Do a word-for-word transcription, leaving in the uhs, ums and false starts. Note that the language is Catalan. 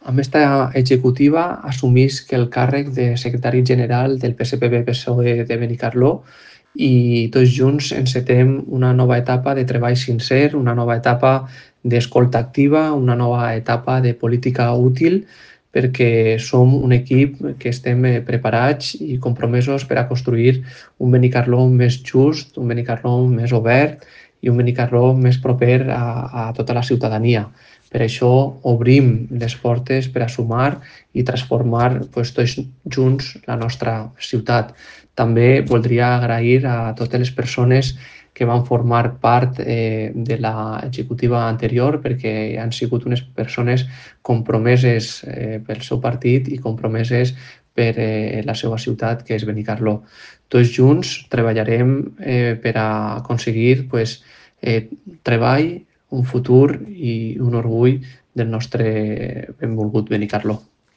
amb esta executiva assumisc el càrrec de secretari general del P S P B P S O E de Benicarló i tots junts encetem una nova etapa de treball sincer, una nova etapa d'escolta activa, una nova etapa de política útil, perquè som un equip que estem preparats i compromesos per a construir un Benicarló més just, un Benicarló més obert i un Benicarló més proper a, a tota la ciutadania. Per això obrim les portes per a sumar i transformar pues, tots junts la nostra ciutat. També voldria agrair a totes les persones que van formar part eh, de l'executiva anterior perquè han sigut unes persones compromeses eh, pel seu partit i compromeses per eh, la seva ciutat, que és Benicarló. Tots junts treballarem eh, per a aconseguir pues, eh, treball, un futur i un orgull del nostre benvolgut Benicarló.